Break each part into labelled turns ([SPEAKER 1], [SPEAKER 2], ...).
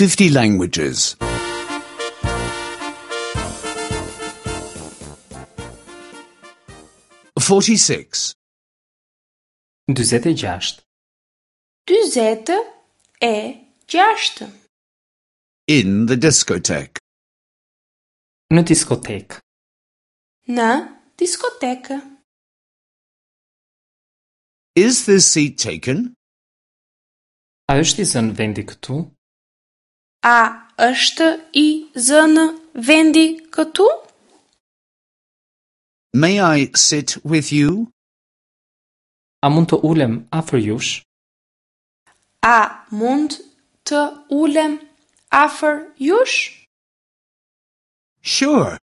[SPEAKER 1] 50 languages. 46.
[SPEAKER 2] 46.
[SPEAKER 3] 46.
[SPEAKER 1] In the discotheque.
[SPEAKER 2] Në diskotekë.
[SPEAKER 3] Në diskotekë.
[SPEAKER 1] Is this seat taken?
[SPEAKER 2] A është i zënë vendi këtu?
[SPEAKER 3] A është i zënë vendi këtu?
[SPEAKER 1] May I sit with you?
[SPEAKER 2] A mund të ulem afër jush?
[SPEAKER 3] A mund të ulem afër jush?
[SPEAKER 1] Sure.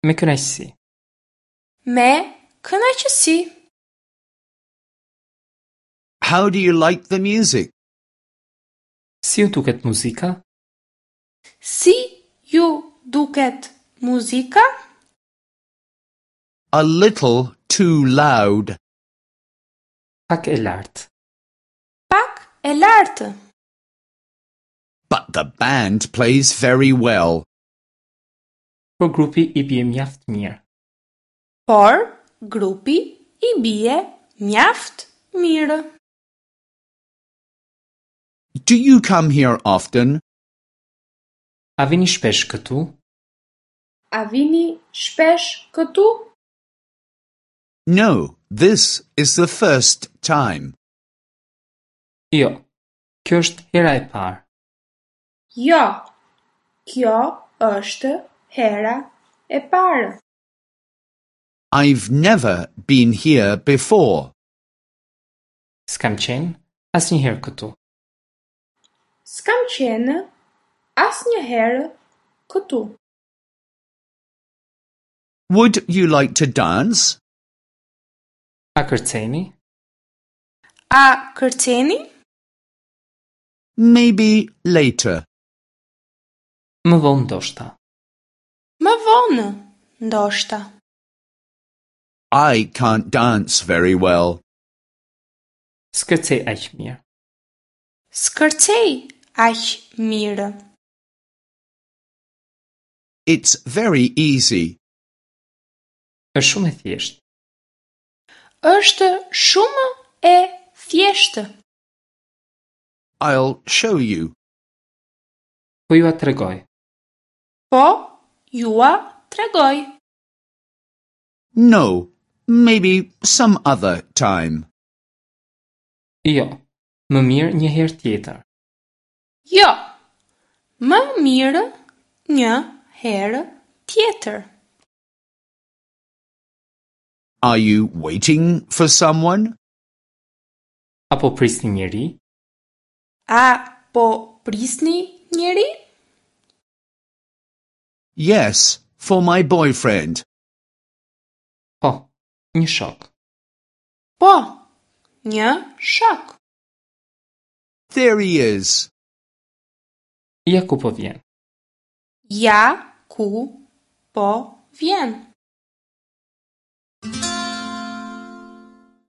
[SPEAKER 2] Me kënaqësi.
[SPEAKER 3] Me kënaqësi.
[SPEAKER 1] How do you like the music?
[SPEAKER 2] Si ju duket muzika?
[SPEAKER 3] Si ju duket muzika?
[SPEAKER 1] A little too loud.
[SPEAKER 2] Pak e lartë.
[SPEAKER 3] Pak e lartë.
[SPEAKER 1] But the band plays very well.
[SPEAKER 2] Por grupi i bie mjaft mirë.
[SPEAKER 3] Por grupi i bie mjaft mirë.
[SPEAKER 1] Do you come here often?
[SPEAKER 2] A vini shpesh këtu?
[SPEAKER 3] A vini shpesh këtu?
[SPEAKER 1] No, this is the first time.
[SPEAKER 2] Jo. Kjo është hera e parë.
[SPEAKER 3] Jo. Kjo është hera e parë.
[SPEAKER 1] I've never been here before.
[SPEAKER 2] S'kam qenë asnjëherë këtu.
[SPEAKER 3] S'kam qenë asnjëherë këtu.
[SPEAKER 1] Would you like to dance?
[SPEAKER 2] A kërceni?
[SPEAKER 3] A kërceni?
[SPEAKER 1] Maybe later.
[SPEAKER 2] Më vonë ndoshta.
[SPEAKER 3] Më vonë, ndoshta.
[SPEAKER 1] I can't dance very well.
[SPEAKER 2] S'kërcej aq mirë.
[SPEAKER 3] S'kërcej aq mirë.
[SPEAKER 1] It's very easy.
[SPEAKER 2] Është shumë e thjeshtë.
[SPEAKER 3] Është shumë e thjeshtë.
[SPEAKER 1] I'll show you.
[SPEAKER 2] Po jua tregoj.
[SPEAKER 3] Po jua tregoj.
[SPEAKER 1] No, maybe some other time.
[SPEAKER 2] Jo. Më mirë një herë tjetër.
[SPEAKER 3] Jo. Më mirë një herë tjetër.
[SPEAKER 1] Are you waiting for someone?
[SPEAKER 2] Apo prisni njeri?
[SPEAKER 3] A po prisni njeri?
[SPEAKER 1] Yes, for my boyfriend.
[SPEAKER 2] Po, një shok.
[SPEAKER 3] Po, një shok.
[SPEAKER 1] There he is.
[SPEAKER 2] Ja ku po vjen.
[SPEAKER 3] Ja ku po vjen.